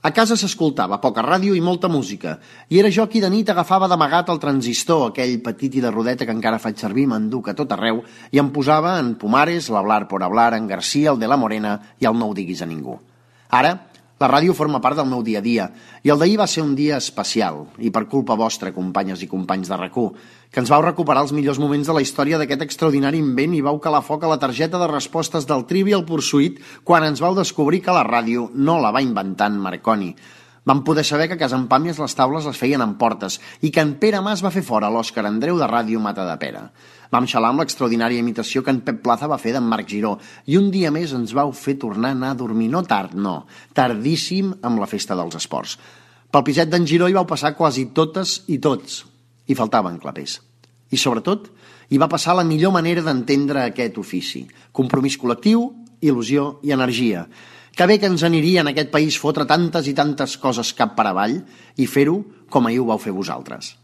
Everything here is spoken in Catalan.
A casa s'escoltava poca ràdio i molta música, i era jo qui de nit agafava d'amagat el transistor, aquell petit i de rodeta que encara faig servir, m'enduc a tot arreu, i em posava en Pumares, l'Hablar por Hablar, en García, el de la Morena i el No ho diguis a ningú. Ara, la ràdio forma part del meu dia a dia, i el d'ahir va ser un dia especial, i per culpa vostra, companyes i companys de RAC1, que ens vau recuperar els millors moments de la història d'aquest extraordinari invent i vau calar foc a la targeta de respostes del Trivial Pursuit quan ens vau descobrir que la ràdio no la va inventar en Marconi. Vam poder saber que a Casa en Pàmies les taules les feien amb portes i que en Pere Mas va fer fora l'Òscar Andreu de Ràdio Matadepera. Vam xalar amb l'extraordinària imitació que en Pep Plaza va fer d'en Marc Giró i un dia més ens vau fer tornar a anar a dormir, no tard, no, tardíssim amb la festa dels esports. Pel piset d'en Giró hi vau passar quasi totes i tots, i faltaven clapers. I sobretot, hi va passar la millor manera d'entendre aquest ofici. Compromís col·lectiu, il·lusió i energia. Que bé que ens aniria en aquest país fotre tantes i tantes coses cap per avall i fer-ho com ahir ho vau fer vosaltres.